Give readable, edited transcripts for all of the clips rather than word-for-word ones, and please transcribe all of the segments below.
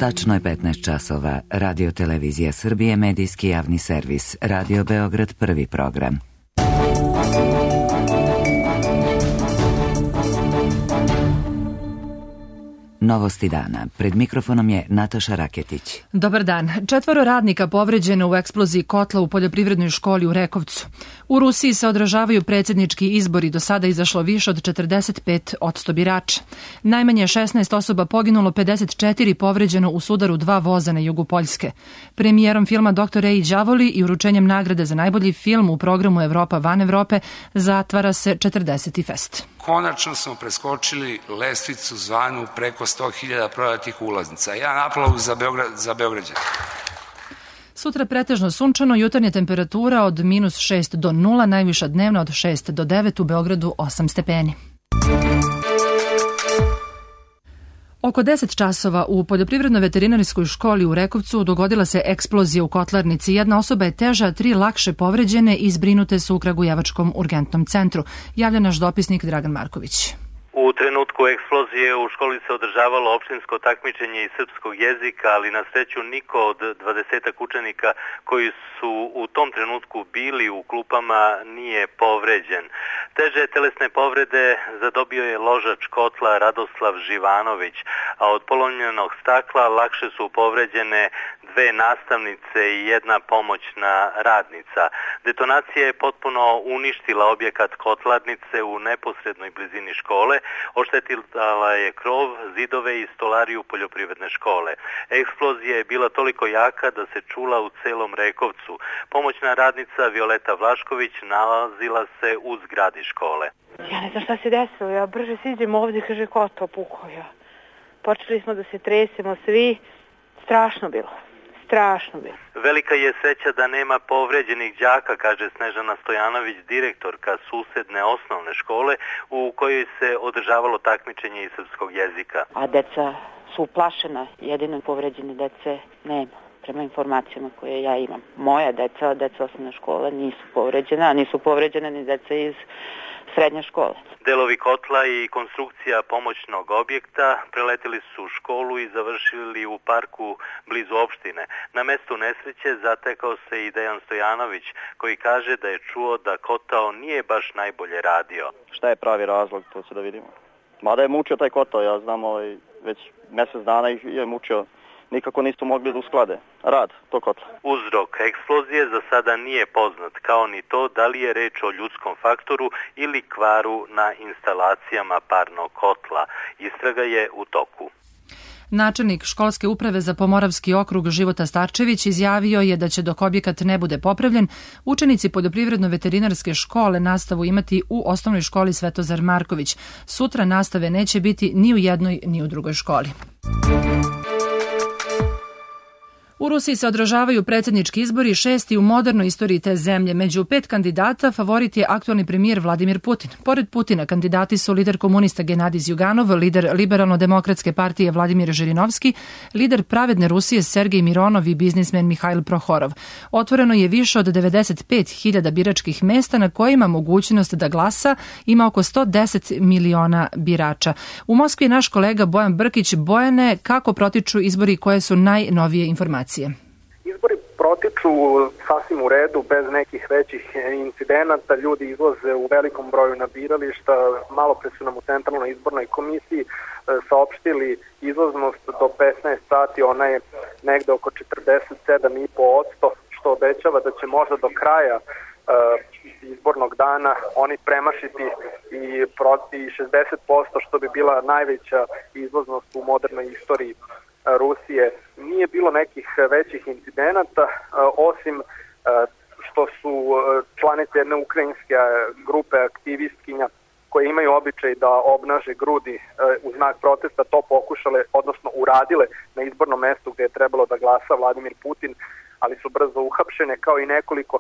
Tačno je 15 časova. Radio Televizija Srbije, medijski javni servis. Radio Beograd, prvi program. Novosti dana. Pred mikrofonom je Nataša Raketić. Dobar dan. 4 radnika povređeno u eksploziji kotla u poljoprivrednoj školi u Rekovcu. U Rusiji se odražavaju predsjednički izbori, do sada izašlo više od 45% birača. Najmanje 16 osoba poginulo, 54 povređeno u sudaru 2 voza na jugu Poljske. Premijerom filma Dr. Ray Đavoli i uručenjem nagrade za najbolji film u programu Evropa van Evrope zatvara se 40. fest. Konačno smo preskočili lestvicu zvanu preko 100.000 prodatih ulaznica. Jedan aplauz za Beograđane. Sutra pretežno sunčano, jutarnja temperatura od -6 do 0, najviša dnevna od 6 do 9, u Beogradu 8 stepeni. Oko 10 časova u poljoprivredno-veterinarskoj školi u Rekovcu dogodila se eksplozija u kotlarnici. Jedna osoba je teža, 3 lakše povređene i zbrinute su u Kragujevačkom urgentnom centru. Javlja naš dopisnik Dragan Marković. U trenutku eksplozije u školi se održavalo opštinsko takmičenje iz srpskog jezika, ali na sreću niko od 20 učenika koji su u tom trenutku bili u klupama nije povređen. Teže telesne povrede zadobio je ložač kotla Radoslav Živanović, a od polomljenog stakla lakše su povređene 2 nastavnice i 1 pomoćna radnica. Detonacija je potpuno uništila objekat kotlarnice u neposrednoj blizini škole, oštetila je krov, zidove i stolariju poljoprivredne škole. Eksplozija je bila toliko jaka da se čula u celom Rekovcu. Pomoćna radnica Violeta Vlašković nalazila se u zgradi škole. Ja ne znam šta se desilo, ja brže siđem ovdje, kaže ko to pukao ja. Počeli smo da se tresemo svi, strašno bilo. Velika je sreća da nema povređenih đaka, kaže Snežana Stojanović, direktorka susedne osnovne škole u kojoj se održavalo takmičenje iz srpskog jezika. A deca su uplašena, jedino povređene dece nema, prema informacijama koje ja imam. Moja deca osnovne škole nisu povređena, a nisu povređene ni deca iz srednje škole. Delovi kotla i konstrukcija pomoćnog objekta preletili su u školu i završili u parku blizu opštine. Na mestu nesreće zatekao se i Dejan Stojanović, koji kaže da je čuo da kotao nije baš najbolje radio. Šta je pravi razlog, to će da vidimo. Mada je mučio taj kotao, ja znam, već mjesec dana je mučio. Nikako nisu mogli da usklade rad tog kotla. Uzrok eksplozije za sada nije poznat, kao ni to da li je reč o ljudskom faktoru ili kvaru na instalacijama parnog kotla. Istraga je u toku. Načelnik školske uprave za Pomoravski okrug Života Starčević izjavio je da će dok objekat ne bude popravljen, učenici poljoprivredno-veterinarske škole nastavu imati u osnovnoj školi Svetozar Marković. Sutra nastave neće biti ni u jednoj ni u drugoj školi. U Rusiji se odražavaju predsjednički izbori, 6. u modernoj istoriji te zemlje. Među 5 kandidata favorit je aktualni premijer Vladimir Putin. Pored Putina kandidati su lider komunista Genadij Zjuganov, lider Liberalno-demokratske partije Vladimir Žirinovski, lider Pravedne Rusije Sergej Mironov i biznismen Mihail Prohorov. Otvoreno je više od 95.000 biračkih mesta na kojima mogućnost da glasa ima oko 110 miliona birača. U Moskvi je naš kolega Bojan Brkić. Bojane, kako protiču izbori, koje su najnovije informacije? Izbori protiču sasvim u redu, bez nekih većih incidenata. Ljudi izlaze u velikom broju na birališta. Malo pre su nam u Centralnoj izbornoj komisiji saopštili izlaznost do 15 sati. Ona je negde oko 47,5%, što obećava da će možda do kraja izbornog dana oni premašiti i 60%, što bi bila najveća izlaznost u modernoj istoriji Rusije. Nije bilo nekih većih incidenata, osim što su članice jedne ukrajinske grupe aktivistkinja koje imaju običaj da obnaže grudi u znak protesta to pokušale, odnosno uradile na izbornom mestu gdje je trebalo da glasa Vladimir Putin, ali su brzo uhapšene, kao i nekoliko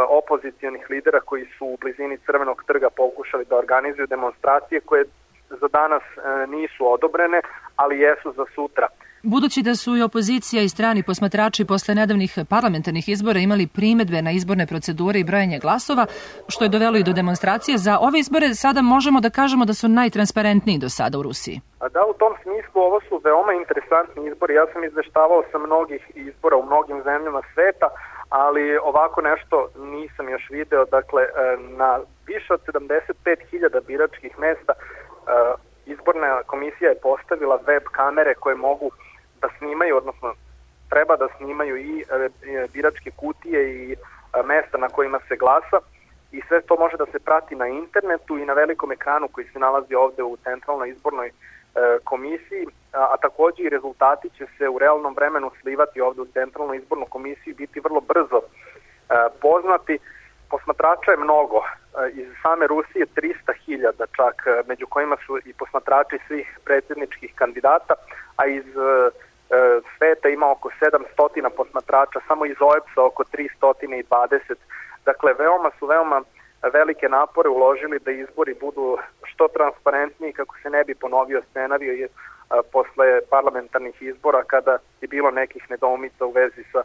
opozicionih lidera koji su u blizini Crvenog trga pokušali da organizuju demonstracije koje za danas nisu odobrene, ali jesu za sutra. Budući da su i opozicija i strani posmatrači posle nedavnih parlamentarnih izbora imali primedbe na izborne procedure i brojanje glasova, što je dovelo i do demonstracije, za ove izbore sada možemo da kažemo da su najtransparentniji do sada u Rusiji. Da, u tom smislu ovo su veoma interesantni izbori. Ja sam izveštavao sa mnogih izbora u mnogim zemljama sveta, ali ovako nešto nisam još video. Dakle, na više od 75.000 biračkih mesta izborna komisija je postavila web kamere koje mogu da snimaju, odnosno treba da snimaju i biračke kutije i mesta na kojima se glasa, i sve to može da se prati na internetu i na velikom ekranu koji se nalazi ovde u Centralnoj izbornoj komisiji, a takođe i rezultati će se u realnom vremenu slivati ovde u Centralnu izbornu komisiju i biti vrlo brzo poznati. Posmatrača je mnogo, iz same Rusije 300.000 čak, među kojima su i posmatrači svih predsjedničkih kandidata, a iz sveta ima oko 700 posmatrača, samo iz OEBS-a oko 320. Dakle, veoma velike napore uložili da izbori budu što transparentniji, kako se ne bi ponovio scenario posle parlamentarnih izbora kada je bilo nekih nedoumica u vezi sa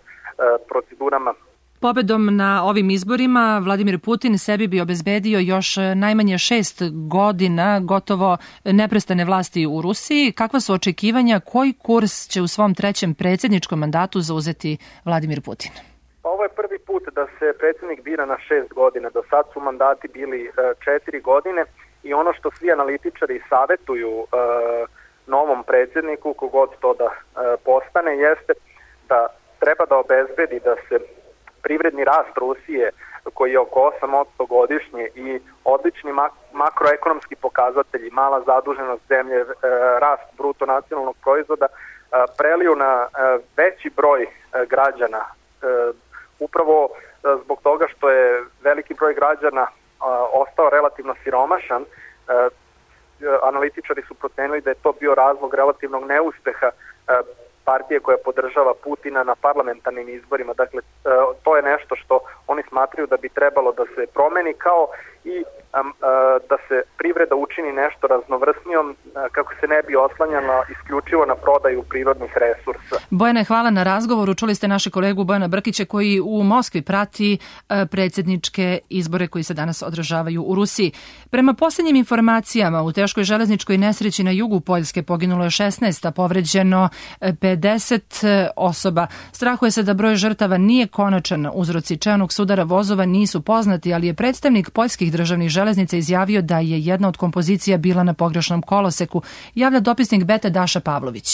procedurama. Pobedom na ovim izborima Vladimir Putin sebi bi obezbedio još najmanje 6 godina gotovo neprestane vlasti u Rusiji. Kakva su očekivanja, koji kurs će u svom trećem predsjedničkom mandatu zauzeti Vladimir Putin? Ovo je prvi put da se predsjednik bira na 6 godina. Do sad su mandati bili 4 godine i ono što svi analitičari savetuju novom predsjedniku, kogod to da postane, jeste da treba da obezbedi da se privredni rast Rusije, koji je oko 8% godišnje, i odlični makroekonomski pokazatelji, mala zaduženost zemlje, rast bruto nacionalnog proizvoda, preliju na veći broj građana. Upravo zbog toga što je veliki broj građana ostao relativno siromašan, analitičari su procenili da je to bio razlog relativnog neuspeha partije koja podržava Putina na parlamentarnim izborima. Dakle, to je nešto što oni smatraju da bi trebalo da se promeni, kao i da se privreda učini nešto raznovrsnijom, kako se ne bi oslanjala isključivo na prodaju prirodnih resursa. Bojane, hvala na razgovoru. Čuli ste naše kolegu Bojana Brkića koji u Moskvi prati predsjedničke izbore koji se danas održavaju u Rusiji. Prema posljednjim informacijama, u teškoj železničkoj nesreći na jugu Poljske poginulo je 16, a povređeno 50 osoba. Strahuje se da broj žrtava nije konačan. Uzroci čelnog sudara vozova nisu poznati, ali je predstavnik poljskih državnih železnica izjavio da je jedna od kompozicija bila na pogrešnom koloseku, javlja dopisnik Beta Daša Pavlović.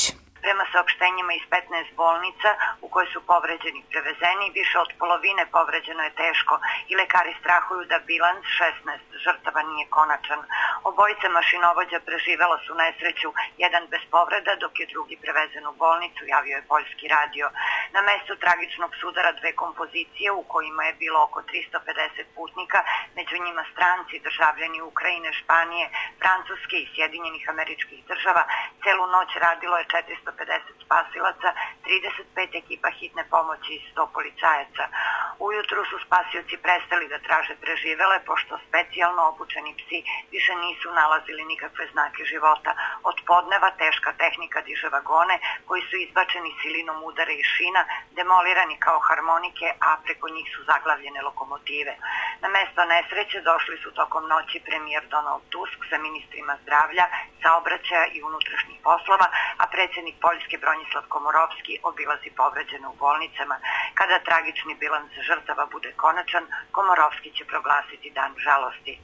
Prema saopštenjima iz 15 bolnica u kojoj su povređeni prevezeni, više od polovine povređeno je teško i lekari strahuju da bilans 16 žrtava nije konačan. Obojica mašinovođa preživela su nesreću, jedan bez povreda, dok je drugi prevezen u bolnicu, javio je Poljski radio. Na mestu tragičnog sudara dve kompozicije u kojima je bilo oko 350 putnika, među njima stranci, državljani Ukrajine, Španije, Francuske i Sjedinjenih Američkih Država. Celu noć radilo je 450 spasilaca, 35 ekipa hitne pomoći i 100 policajaca. Ujutru su spasioci prestali da traže preživele, pošto specijalno obučeni psi više nisu nalazili nikakve znake života. Od podneva teška tehnika diže vagone koji su izbačeni silinom udara i šina, demolirani kao harmonike, a preko njih su zaglavljene lokomotive. Na mesto nesreće došli su tokom noći premijer Donald Tusk sa ministrima zdravlja, saobraćaja i unutrašnjih poslova, a predsjednik Poljske Bronislav Komorovski obilazi povređene u bolnicama. Kada tragični bilans žrtava bude konačan, Komorovski će proglasiti dan žalosti.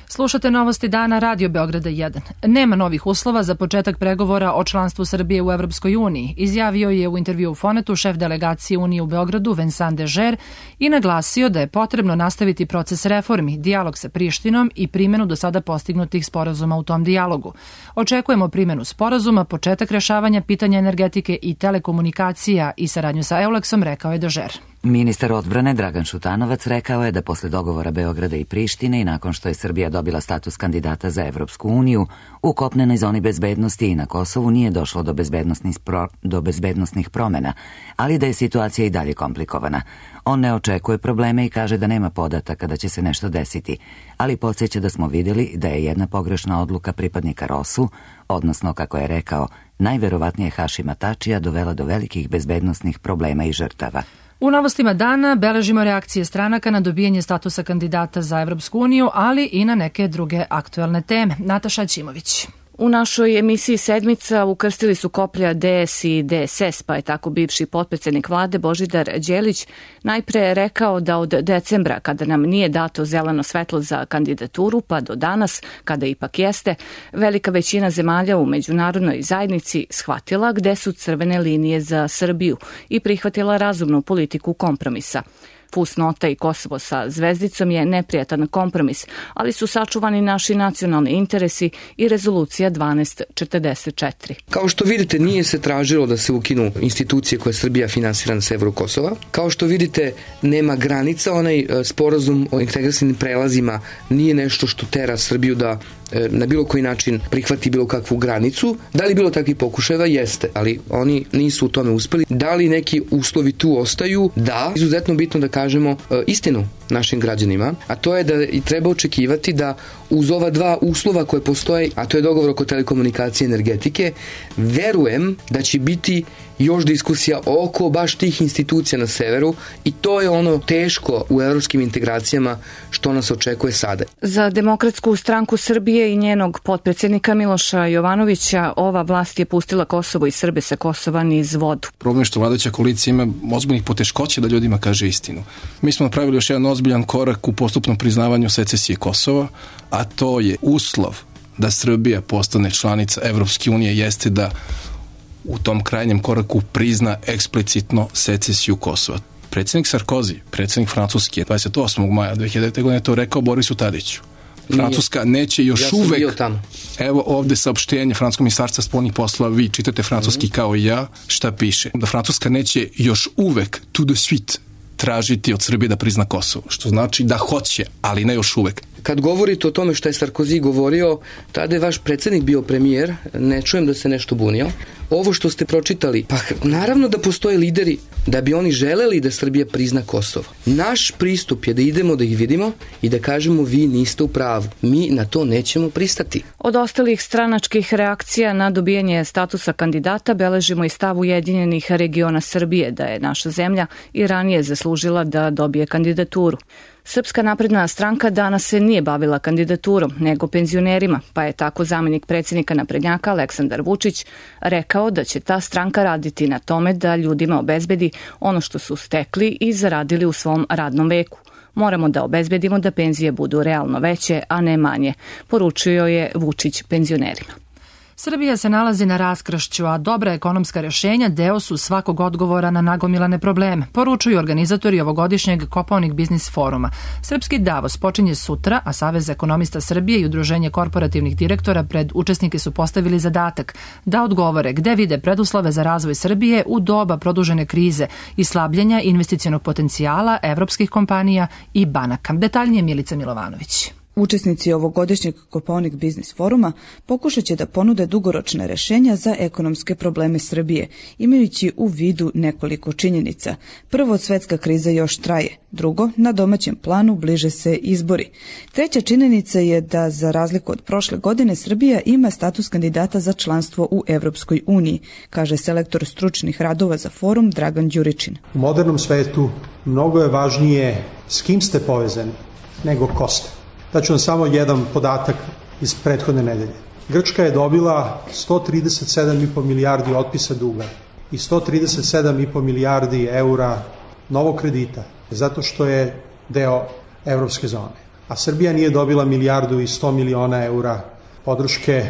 Slušate novosti dana Radio Beograda 1. Nema novih uslova za početak pregovora o članstvu Srbije u Evropskoj uniji, izjavio je u intervju u Fonetu šef delegacije Unije u Beogradu Vincent Dežer i naglasio da je potrebno nastaviti proces reformi, dijalog sa Prištinom i primjenu do sada postignutih sporazuma u tom dijalogu. Očekujemo primjenu sporazuma, početak rešavanja pitanja energetike i telekomunikacija i saradnju sa Eulexom, rekao je Dežer. Ministar odbrane Dragan Šutanovac rekao je da posle dogovora Beograda i Prištine i nakon što je Srbija dobila status kandidata za Evropsku uniju, u kopnenoj zoni bezbednosti i na Kosovu nije došlo do bezbednosnih promena, ali da je situacija i dalje komplikovana. On ne očekuje probleme i kaže da nema podataka da će se nešto desiti, ali podsjeća da smo vidjeli da je jedna pogrešna odluka pripadnika ROSU, odnosno, kako je rekao, najverovatnije Hašima Tačija, dovela do velikih bezbednosnih problema i žrtava. U novostima dana beležimo reakcije stranaka na dobijanje statusa kandidata za Evropsku uniju, ali i na neke druge aktuelne teme. Nataša Ćimović. U našoj emisiji Sedmica ukrstili su koplja DS i DSS, pa je tako bivši potpredsjednik vlade Božidar Đelić najpre rekao da od decembra, kada nam nije dato zeleno svetlo za kandidaturu, pa do danas, kada ipak jeste, velika većina zemalja u međunarodnoj zajednici shvatila gde su crvene linije za Srbiju i prihvatila razumnu politiku kompromisa. Fusnota i Kosovo sa zvezdicom je neprijatan kompromis, ali su sačuvani naši nacionalni interesi i rezolucija 1244. Kao što vidite, nije se tražilo da se ukinu institucije koje Srbija finansira na severu Kosova. Kao što vidite, nema granica, onaj sporazum o integracijnim prelazima nije nešto što tera Srbiju da na bilo koji način prihvati bilo kakvu granicu. Da li bilo takvih pokušajeva? Jeste, ali oni nisu u tome uspeli. Da li neki uslovi tu ostaju? Da. Izuzetno bitno da kažemo istinu našim građanima, a to je da treba očekivati da uz ova dva uslova koje postoje, a to je dogovor oko telekomunikacije i energetike, verujem da će biti još diskusija oko baš tih institucija na severu i to je ono teško u evropskim integracijama što nas očekuje sada. Za Demokratsku stranku Srbije i njenog potpredsjednika Miloša Jovanovića ova vlast je pustila Kosovo i Srbe sa Kosova niz vodu. Problem je što vladajuća koalicija ima ozbiljnih poteškoća da ljudima kaže istinu. Mi smo napravili još jedan ozbiljan korak u postupnom priznavanju secesije Kosova, a to je uslov da Srbija postane članica Evropske unije jeste da u tom krajnjem koraku prizna eksplicitno secesiju Kosova. Predsjednik Sarkozy, predsjednik Francuske, 28. maja 2009. godine to rekao Borisu Tadiću. Francuska neće još uvek, evo ovde saopštenje Francuskog ministarstva spoljnih poslova, vi čitate francuski kao i ja, šta piše? Da Francuska neće još uvek, tout de suite, tražiti od Srbije da prizna Kosovo, što znači da hoće, ali ne još uvek. Kad govorite o tome što je Sarkozy govorio, tada je vaš predsjednik bio premijer, ne čujem da se nešto bunio. Ovo što ste pročitali, pa naravno da postoje lideri da bi oni želeli da Srbija prizna Kosovo. Naš pristup je da idemo da ih vidimo i da kažemo vi niste u pravu. Mi na to nećemo pristati. Od ostalih stranačkih reakcija na dobijanje statusa kandidata beležimo i stav Ujedinjenih regiona Srbije da je naša zemlja i ranije zaslužila da dobije kandidaturu. Srpska napredna stranka danas se nije bavila kandidaturom, nego penzionerima, pa je tako zamjenik predsjednika naprednjaka Aleksandar Vučić rekao da će ta stranka raditi na tome da ljudima obezbedi ono što su stekli i zaradili u svom radnom veku. Moramo da obezbedimo da penzije budu realno veće, a ne manje, poručio je Vučić penzionerima. Srbija se nalazi na raskršću, a dobra ekonomska rješenja deo su svakog odgovora na nagomilane probleme, poručuju organizatori ovogodišnjeg Kopaonik biznis foruma. Srpski Davos počinje sutra, a Savez ekonomista Srbije i Udruženje korporativnih direktora pred učesnike su postavili zadatak da odgovore gde vide preduslove za razvoj Srbije u doba produžene krize i slabljenja investicionog potencijala evropskih kompanija i banaka. Detaljnije Milica Milovanović. Učesnici ovogodišnjeg Kopaonik biznis foruma pokušat će da ponude dugoročne rešenja za ekonomske probleme Srbije, imajući u vidu nekoliko činjenica. Prvo, svetska kriza još traje. Drugo, na domaćem planu bliže se izbori. Treća činjenica je da, za razliku od prošle godine, Srbija ima status kandidata za članstvo u Evropskoj uniji, kaže selektor stručnih radova za forum Dragan Đuričin. U modernom svetu mnogo je važnije s kim ste povezani nego ko ste. Daću vam samo jedan podatak iz prethodne nedelje. Grčka je dobila 137,5 milijardi otpisa duga i 137,5 milijardi eura novog kredita, zato što je deo evropske zone. A Srbija nije dobila milijardu i 100 miliona eura podrške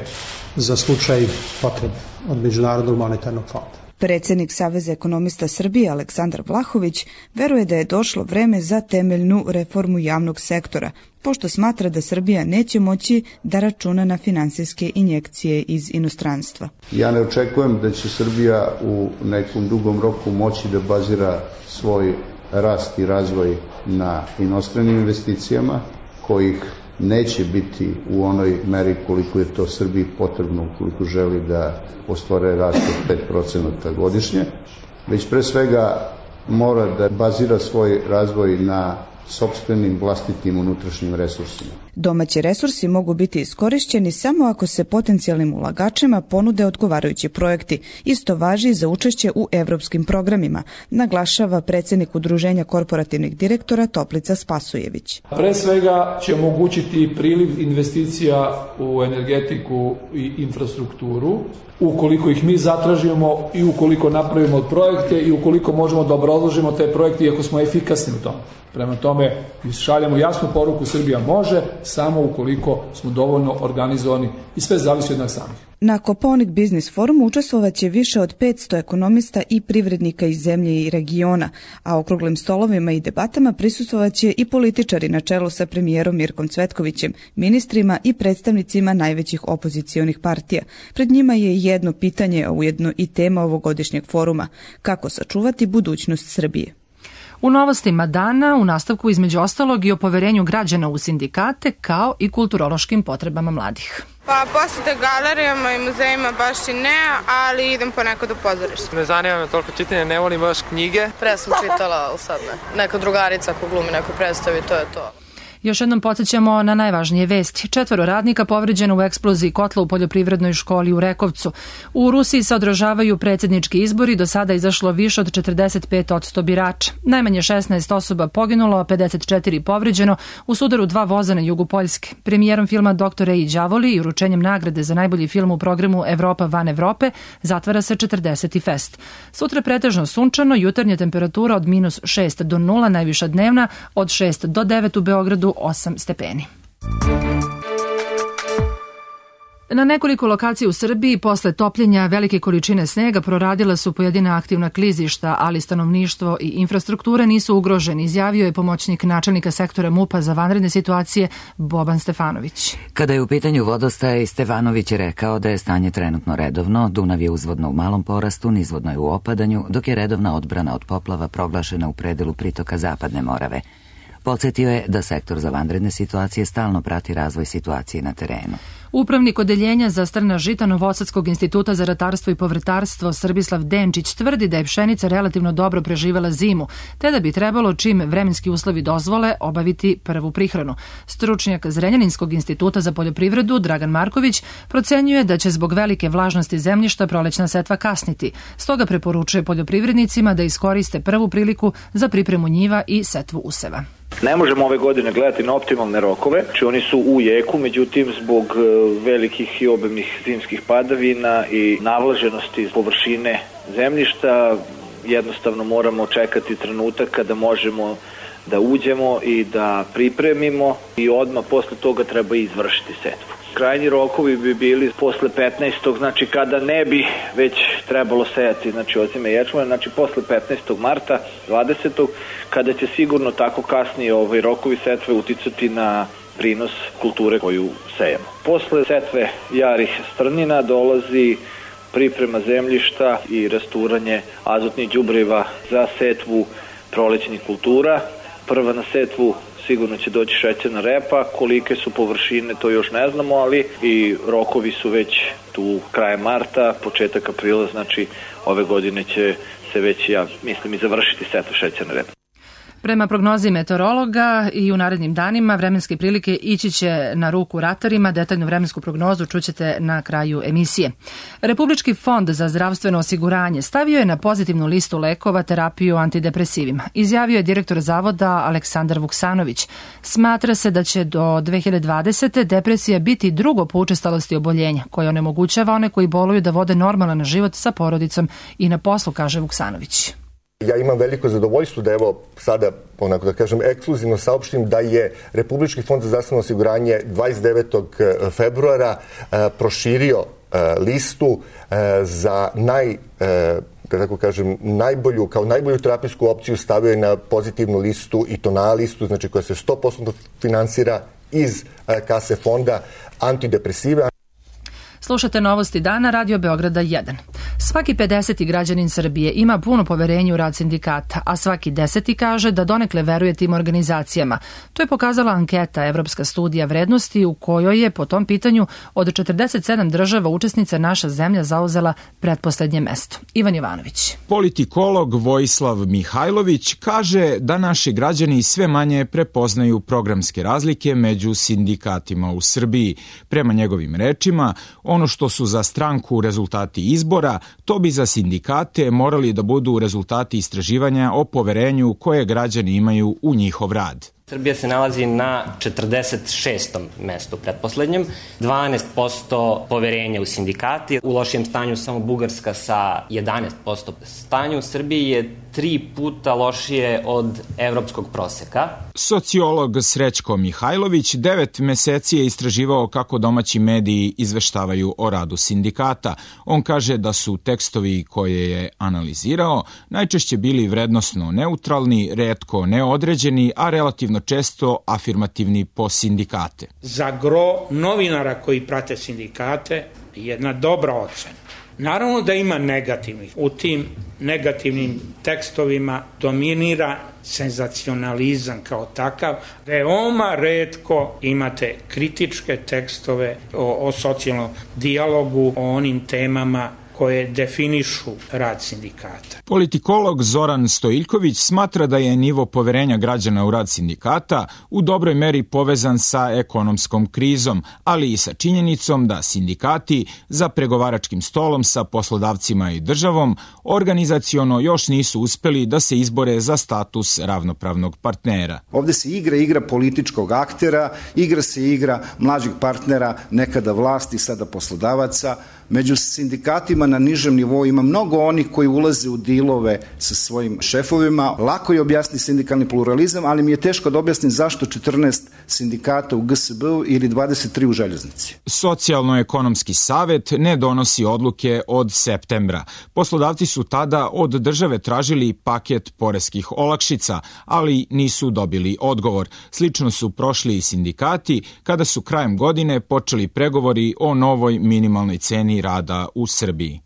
za slučaj potrebe od Međunarodnog monetarnog fonda. Predsjednik Saveza ekonomista Srbije Aleksandar Vlahović veruje da je došlo vreme za temeljnu reformu javnog sektora, pošto smatra da Srbija neće moći da računa na finansijske injekcije iz inostranstva. Ja ne očekujem da će Srbija u nekom dugom roku moći da bazira svoj rast i razvoj na inostranim investicijama, kojih neće biti u onoj meri koliko je to Srbiji potrebno ukoliko želi da ostvare rast od 5% godišnje, već pre svega mora da bazira svoj razvoj na sopstvenim vlastitim unutrašnjim resursima. Domaći resursi mogu biti iskorišćeni samo ako se potencijalnim ulagačima ponude odgovarajući projekti. Isto važi za učešće u evropskim programima, naglašava predsjednik Udruženja korporativnih direktora Toplica Spasojević. Pre svega će omogućiti priliv investicija u energetiku i infrastrukturu, ukoliko ih mi zatražimo i ukoliko napravimo projekte i ukoliko možemo da obrazložimo te projekte i ako smo efikasni u tom. Prema tome, šaljamo jasnu poruku, Srbija može, samo ukoliko smo dovoljno organizovani i sve zavisi od nas samih. Na Kopaonik Biznis forumu učestvovaće više od 500 ekonomista i privrednika iz zemlje i regiona, a okruglim stolovima i debatama prisustvovaće i političari na čelu sa premijerom Mirkom Cvetkovićem, ministrima i predstavnicima najvećih opozicionih partija. Pred njima je jedno pitanje, a ujedno i tema ovogodišnjeg foruma: kako sačuvati budućnost Srbije. U novostima dana u nastavku između ostalog i o poverenju građana u sindikate kao i kulturološkim potrebama mladih. Pa posete galerijama i muzejima baš i ne, ali idem ponekad u pozorište. Ne zanima me toliko čitanje, ne volim baš knjige. Pre sam čitala, ali sad ne. Neka drugarica ko glumi neku predstavi, to je to. Još jednom podsjećamo na najvažnije vesti. 4 radnika povređeno u eksploziji kotla u poljoprivrednoj školi u Rekovcu. U Rusiji se održavaju predsjednički izbori, do sada izašlo više od 45% birača. Najmanje 16 osoba poginulo, a 54 povređeno u sudaru 2 voza na jugu Poljske. Premijerom filma Dr. Ej đavoli i uručenjem nagrade za najbolji film u programu Evropa van Evrope zatvara se 40. fest. Sutra pretežno sunčano, jutarnja temperatura od -6 do 0, najviša dnevna od 6 do 9 u Beogradu, 8 stepeni. Na nekoliko lokacija u Srbiji posle topljenja velike količine snega proradila su pojedina aktivna klizišta, ali stanovništvo i infrastruktura nisu ugroženi, izjavio je pomoćnik načelnika sektora MUP-a za vanredne situacije Boban Stefanović. Kada je u pitanju vodostaj, Stefanović je rekao da je stanje trenutno redovno, Dunav je uzvodno u malom porastu, nizvodno je u opadanju, dok je redovna odbrana od poplava proglašena u predelu pritoka Zapadne Morave. Podsjetio je da sektor za vanredne situacije stalno prati razvoj situacije na terenu. Upravnik odeljenja za strna žita Novosadskog instituta za ratarstvo i povrtarstvo Srbislav Denčić tvrdi da je pšenica relativno dobro preživela zimu, te da bi trebalo, čim vremenski uslovi dozvole, obaviti prvu prihranu. Stručnjak Zrenjaninskog instituta za poljoprivredu Dragan Marković procenjuje da će zbog velike vlažnosti zemljišta prolećna setva kasniti. Stoga preporučuje poljoprivrednicima da iskoriste prvu priliku za pripremu njiva i setvu useva. Ne možemo ove godine gledati na optimalne rokove, znači oni su u jeku, međutim zbog velikih i obimnih zimskih padavina i navlaženosti površine zemljišta jednostavno moramo čekati trenutak kada možemo da uđemo i da pripremimo i odmah posle toga treba izvršiti setvu. Krajnji rokovi bi bili posle 15. znači kada ne bi već trebalo sejati ozime ječmene, znači posle 15. marta, 20. kada će sigurno tako kasnije rokovi setve uticati na prinos kulture koju sejemo. Posle setve jarih strnina dolazi priprema zemljišta i rasturanje azotnih đubriva za setvu prolećnih kultura. Prva na setvu sigurno će doći šećerna repa, kolike su površine to još ne znamo, ali i rokovi su već tu krajem marta, početak aprila, znači ove godine će se već, ja mislim, i završiti setva šećerne repe. Prema prognozi meteorologa i u narednim danima vremenske prilike ići će na ruku ratarima. Detaljnu vremensku prognozu čućete na kraju emisije. Republički fond za zdravstveno osiguranje stavio je na pozitivnu listu lekova terapiju antidepresivima. Izjavio je direktor zavoda Aleksandar Vuksanović. Smatra se da će do 2020. depresija biti drugo po učestalosti oboljenja, koje onemogućava one koji boluju da vode normalan život sa porodicom i na poslu, kaže Vuksanović. Ja imam veliko zadovoljstvo da evo sada, onako da kažem, ekskluzivno saopštim da je Republički fond za zdravstveno osiguranje 29. februara proširio listu za najbolju terapijsku opciju, stavio je na pozitivnu listu i to na listu, znači koja se 100% finansira iz kase fonda antidepresive. Slušate Novosti dana, Radio Beograda 1. Svaki 50. građanin Srbije ima puno poverenje u rad sindikata, a svaki 10. kaže da donekle veruje tim organizacijama. To je pokazala anketa Evropska studija vrednosti u kojoj je po tom pitanju od 47 država učesnica naša zemlja zauzela pretposlednje mesto. Ivan Jovanović. Politikolog Vojislav Mihajlović kaže da naši građani sve manje prepoznaju programske razlike među sindikatima u Srbiji. Prema njegovim rečima, ono što su za stranku rezultati izbora, to bi za sindikate morali da budu rezultati istraživanja o poverenju koje građani imaju u njihov rad. Srbija se nalazi na 46. mestu pretposlednjem, 12% poverenja u sindikati, u lošijem stanju samo Bugarska sa 11% stanju. U Srbiji je 3 puta lošije od evropskog proseka. Sociolog Srećko Mihajlović 9 meseci je istraživao kako domaći mediji izveštavaju o radu sindikata. On kaže da su tekstovi koje je analizirao najčešće bili vrednosno neutralni, retko neodređeni, a relativno često afirmativni po sindikate. Za gro novinara koji prate sindikate jedna dobra ocena. Naravno da ima negativnih. U tim negativnim tekstovima dominira senzacionalizam kao takav. Veoma retko imate kritičke tekstove o socijalnom dijalogu, o onim temama koje definišu rad sindikata. Politikolog Zoran Stojiljković smatra da je nivo poverenja građana u rad sindikata u dobroj meri povezan sa ekonomskom krizom, ali i sa činjenicom da sindikati za pregovaračkim stolom sa poslodavcima i državom organizaciono još nisu uspeli da se izbore za status ravnopravnog partnera. Ovde se igra političkog aktera, igra se igra mlađih partnera, nekada vlasti, sada poslodavaca. Među sindikatima na nižem nivou ima mnogo onih koji ulaze u dilove sa svojim šefovima. Lako je objasniti sindikalni pluralizam, ali mi je teško da objasnim zašto 14 sindikata u GSB-u ili 23 u željeznici. Socijalno-ekonomski savet ne donosi odluke od septembra. Poslodavci su tada od države tražili paket poreskih olakšica, ali nisu dobili odgovor. Slično su prošli i sindikati kada su krajem godine počeli pregovori o novoj minimalnoj ceni rada u Srbiji.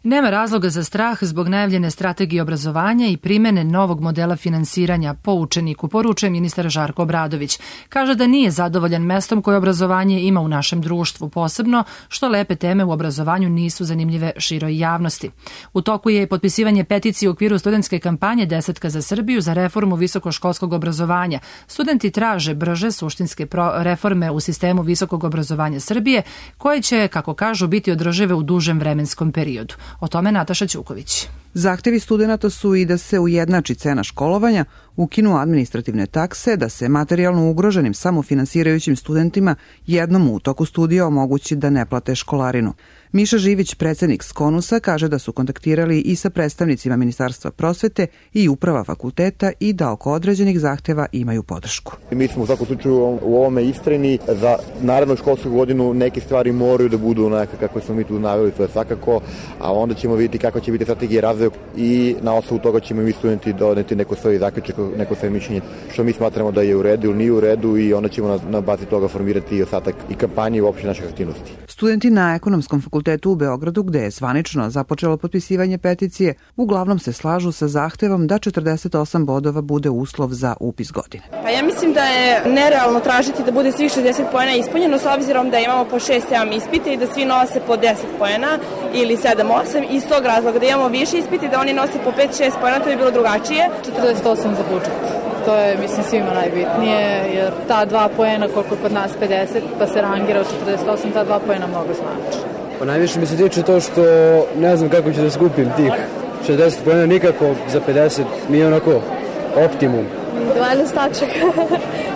Nema razloga za strah zbog najavljene strategije obrazovanja i primene novog modela finansiranja po učeniku, poručuje ministar Žarko Obradović. Kaže da nije zadovoljan mestom koje obrazovanje ima u našem društvu, posebno što lepe teme u obrazovanju nisu zanimljive široj javnosti. U toku je potpisivanje peticije u okviru studentske kampanje 10 za Srbiju za reformu visokoškolskog obrazovanja. Studenti traže brže suštinske reforme u sistemu visokog obrazovanja Srbije, koje će, kako kažu, biti održive u dužem vremenskom periodu. O tome Nataša Ćuković. Zahtevi studenta su i da se ujednači cena školovanja, ukinu administrativne takse, da se materijalno ugroženim samofinansirajućim studentima jednom u toku studija omogući da ne plate školarinu. Miša Živić, predsednik Skonusa, kaže da su kontaktirali i sa predstavnicima Ministarstva prosvete i uprava fakulteta i da oko određenih zahteva imaju podršku. Mi smo u svakom slučaju u ovome istrajni. Za narednu školsku godinu neke stvari moraju da budu onako kako smo mi tu naveli, to je svakako, a onda ćemo vidjeti kako će biti strategija razvoja i na osnovu toga ćemo mi studenti doneti neko svoje zaključak, neko svoje mišljenje, što mi smatramo da je u redu ili nije u redu i onda ćemo na bazi toga formirati i ostatak i kampanje i uopšte naših aktivnosti. Studenti na Ekonomskom fakultetu u Beogradu, gde je zvanično započelo potpisivanje peticije, uglavnom se slažu sa zahtevom da 48 bodova bude uslov za upis godine. Pa ja mislim da je nerealno tražiti da bude svih 60 poena ispunjeno s obzirom da imamo po 6-7 ispita i da svi nose po 10 poena ili 7-8. Iz tog razloga da imamo više ispita i da oni nose po 5-6 poena, to je bilo drugačije. 48 za budžet. To je, mislim, svima najbitnije, jer ta 2 poena, koliko kod nas 50, pa se rangira od 48, ta 2 poena mnogo znači. Pa najviše mi se tiče to što ne znam kako ću da skupim tih 60 poena, nikako za 50 mi je onako optimum. 12 tačaka.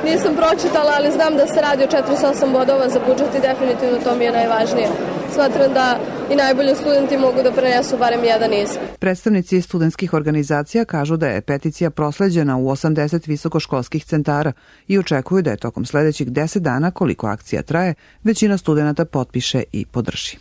Nisam pročitala, ali znam da se radi o 48 bodova za budžet i definitivno to mi je najvažnije. Smatram da i najbolji studenti mogu da prenesu barem jedan ispit. Predstavnici studentskih organizacija kažu da je peticija prosleđena u 80 visokoškolskih centara i očekuju da je tokom sledećih 10 dana, koliko akcija traje, većina studenata potpiše i podrži.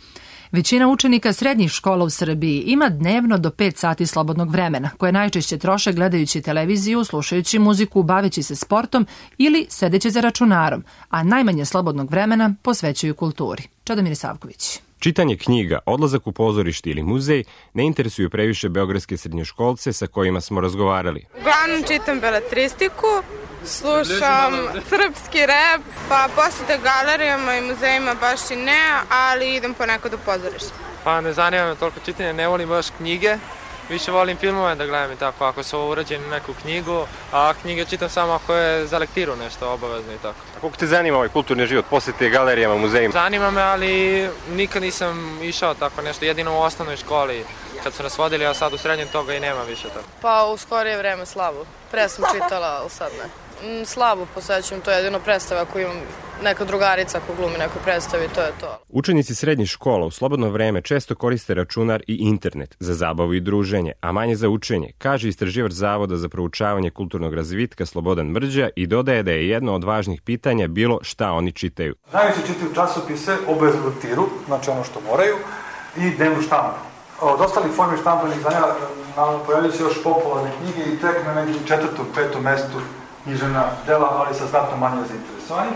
Većina učenika srednjih škola u Srbiji ima dnevno do 5 sati slobodnog vremena, koje najčešće troše gledajući televiziju, slušajući muziku, baveći se sportom ili sedeći za računarom, a najmanje slobodnog vremena posvećuju kulturi. Čedomir Savković. Čitanje knjiga, odlazak u pozorište ili muzej ne interesuju previše beogradske srednjoškolce sa kojima smo razgovarali. Uglavnom čitam beletristiku, slušam srpski rep, pa posete galerijama i muzejima baš i ne, ali idem ponekad u pozorište. Pa ne zanima me toliko čitanje, ne volim baš knjige, više volim filmove da gledam i tako, ako su urađeni neku knjigu, a knjige čitam samo ako je za lektiru nešto obavezno i tako. A koliko te zanima ovaj kulturni život, posete galerijama, muzejima? Zanima me, ali nikad nisam išao tako nešto, jedino u osnovnoj školi. Kad su nas vodili, a sad u srednjem toga i nema više tako. Pa u skorije vreme slabo. Pre sam čitala, ali sad ne. Slabo posećujem, to je jedino predstava ako imam neka drugarica ako glumi neku predstavu i to je to. Učenici srednjih škola u slobodno vreme često koriste računar i internet za zabavu i druženje, a manje za učenje, kaže istraživač Zavoda za proučavanje kulturnog razvitka Slobodan Mrđa i dodaje da je jedno od važnih pitanja bilo šta oni čitaju. Najviše čitaju časopise, obaveznu lektiru, znači ono što moraju, i dnevnu štampu. Od ostalih formi štampanih izdanja naravno pojavljaju se još popularne knjige i tek na nekim 4., 5. mestu književna dela, ali sa znatno manje zainteresovanih.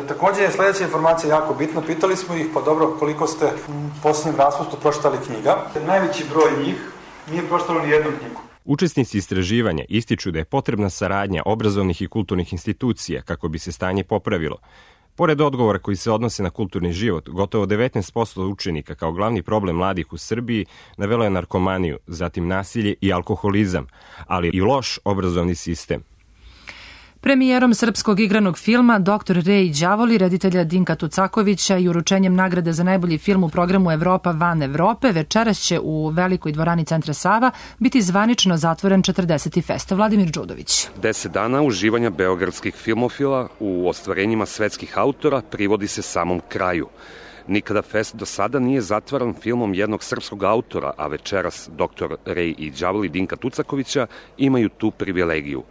Takođe je sledeća informacija jako bitna. Pitali smo ih, pa dobro, koliko ste u posljednjem raspustu pročitali knjiga. Najveći broj njih nije pročitalo ni jednu knjigu. Učesnici istraživanja ističu da je potrebna saradnja obrazovnih i kulturnih institucija kako bi se stanje popravilo. Pored odgovora koji se odnose na kulturni život, gotovo 19% učenika kao glavni problem mladih u Srbiji navelo je narkomaniju, zatim nasilje i alkoholizam, ali i loš obrazovni sistem. Premijerom srpskog igranog filma Dr. Rej i đavoli reditelja Dinka Tucakovića i uručenjem nagrade za najbolji film u programu Evropa van Evrope večeras će u velikoj dvorani Centra Sava biti zvanično zatvoren 40. festa. Vladimir Đudović. 10 dana uživanja beogradskih filmofila u ostvarenjima svetskih autora privodi se samom kraju. Nikada fest do sada nije zatvaran filmom jednog srpskog autora, a večeras Dr. Rej i đavoli Dinka Tucakovića imaju tu privilegiju.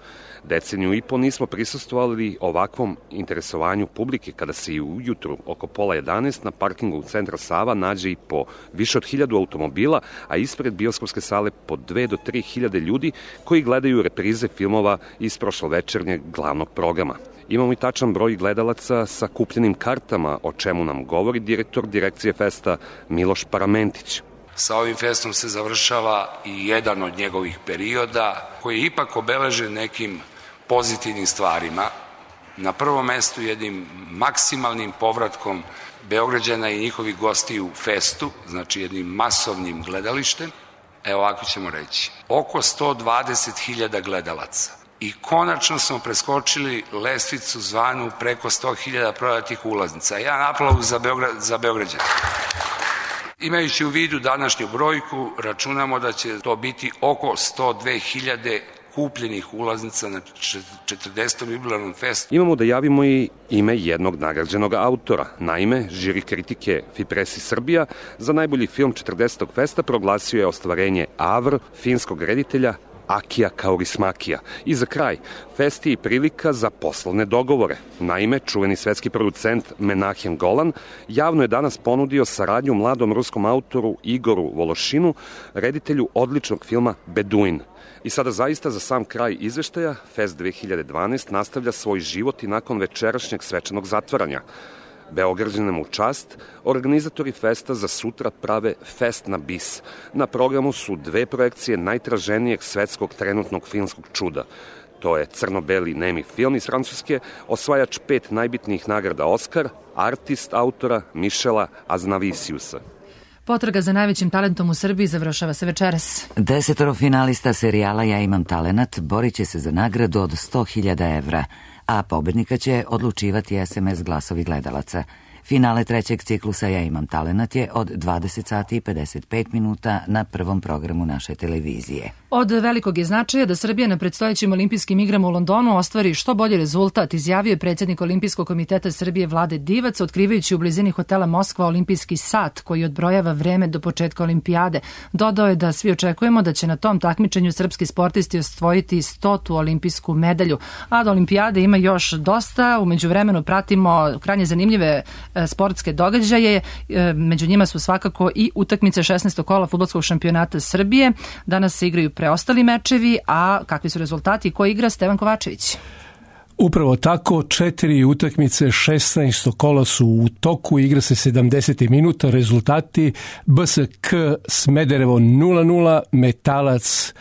Deceniju i po nismo prisustvovali ovakvom interesovanju publike kada se i ujutru oko 10:30 na parkingu Centra Sava nađe i po više od 1000 automobila, a ispred bioskopske sale po 2 do 3 hiljade ljudi koji gledaju reprize filmova iz prošlovečernjeg glavnog programa. Imamo i tačan broj gledalaca sa kupljenim kartama, o čemu nam govori direktor direkcije festa Miloš Paramentić. Sa ovim festom se završava i jedan od njegovih perioda koji je ipak obeležen nekim pozitivnim stvarima. Na prvom mestu jednim maksimalnim povratkom Beograđana i njihovih gostiju u festu, znači jednim masovnim gledalištem. Evo ovako ćemo reći, oko 120.000 gledalaca. I konačno smo preskočili lestvicu zvanu preko 100.000 prodatih ulaznica. Jedan aplauz za Beograđana. Imajući u vidu današnju brojku, računamo da će to biti oko 102.000 kupljenih ulaznica na 40. jubilarnom festu. Imamo da javimo i ime jednog nagrađenog autora. Naime, žiri kritike Fipresi Srbija za najbolji film 40. festa proglasio je ostvarenje Avr finskog reditelja Akija Kaurismakija. I za kraj, fest je i prilika za poslovne dogovore. Naime, čuveni svetski producent Menahem Golan javno je danas ponudio saradnju mladom ruskom autoru Igoru Vološinu, reditelju odličnog filma Beduin. I sada zaista za sam kraj izveštaja, Fest 2012 nastavlja svoj život i nakon večerašnjeg svečanog zatvaranja. Beograđanima u čast, organizatori festa za sutra prave Fest na bis. Na programu su 2 projekcije najtraženijeg svetskog trenutnog filmskog čuda. To je crno-beli nemi film iz Francuske, osvajač 5 najbitnijih nagrada Oskar, artist autora Mišela Aznavisiusa. Potraga za najvećim talentom u Srbiji završava se večeras. 10 finalista serijala Ja imam talenat borit će se za nagradu od 100.000 evra, a pobednika će odlučivati SMS glasovi gledalaca. Finale 3. ciklusa Ja imam talenat je od 20 sati i 55 minuta na prvom programu naše televizije. Od velikog je značaja da Srbija na predstojećim olimpijskim igrama u Londonu ostvari što bolji rezultat, izjavio je predsjednik Olimpijskog komiteta Srbije Vlade Divac, otkrivajući u blizini hotela Moskva olimpijski sat koji odbrojava vreme do početka olimpijade. Dodao je da svi očekujemo da će na tom takmičenju srpski sportisti osvojiti 100. olimpijsku medalju. A do olimpijade ima još dosta. U međuvremenu pratimo krajnje zanimljive sportske događaje. Među njima su svakako i utakmice 16. kola fudbalskog šampionata Srbije. Danas se igraju preostali mečevi, a kakvi su rezultati? Ko igra? Stevan Kovačević. Upravo tako, 4 utakmice, 16. kola su u toku, igra se 70 minuta, rezultati BSK Smederevo 0-0, Metalac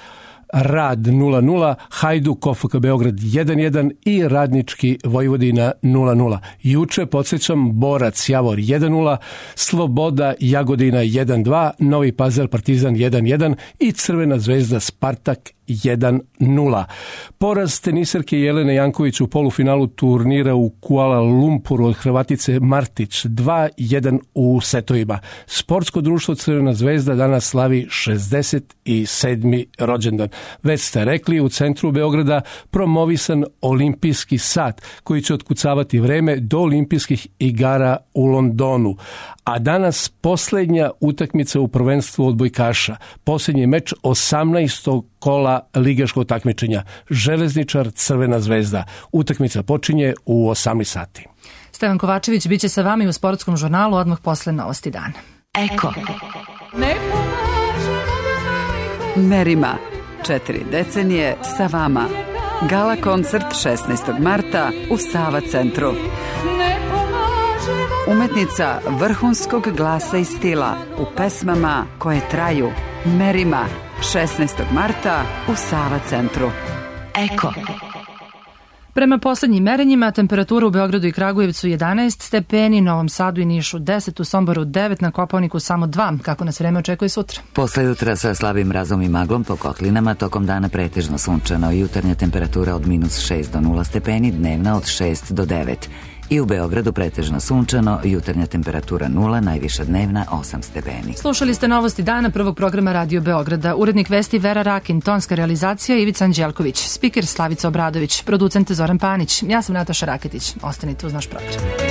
Rad 0-0, Hajduk OFK Beograd 1-1 i Radnički Vojvodina 0-0. Juče, podsjećam, Borac Javor 1-0, Sloboda Jagodina 1-2, Novi Pazar Partizan 1-1 i Crvena zvezda Spartak 1-0. Poraz teniserke Jelene Janković u polufinalu turnira u Kuala Lumpuru od Hrvatice Martić 2-1 u setovima. Sportsko društvo Crvena zvezda danas slavi 67. rođendan. Već ste rekli, u centru Beograda promovisan olimpijski sat koji će otkucavati vreme do olimpijskih igara u Londonu. A danas posljednja utakmica u prvenstvu odbojkaša. Posljednji meč 18. kola ligaškog takmičenja. Železničar Crvena zvezda. Utakmica počinje u 18 sati. Stevan Kovačević biće sa vama i u sportskom žurnalu odmah posle novosti dana. Eko. Merima. 4 decenije sa vama. Gala koncert 16. marta u Sava centru. Umetnica vrhunskog glasa i stila u pesmama koje traju. Merima. 16. marta u Sava centru. Eko. Prema poslednjim merenjima, temperatura u Beogradu i Kragujevcu 11 stepeni, Novom Sadu i Nišu 10, u Somboru 9, na Kopaoniku samo 2. Kako nas vreme očekuje sutra? Posle jutra sa slabim mrazom i maglom po kotlinama, tokom dana pretežno sunčano, jutarnja temperatura od -6 do 0 stepeni, dnevna od 6 do 9. I u Beogradu pretežno sunčano, jutarnja temperatura 0, najviša dnevna 8 stepeni. Slušali ste novosti dana prvog programa Radio Beograda. Urednik vesti Vera Rakin, tonska realizacija Ivica Anđelković, spiker Slavica Obradović, producent Zoran Panić. Ja sam Nataša Raketić. Ostanite uz naš program.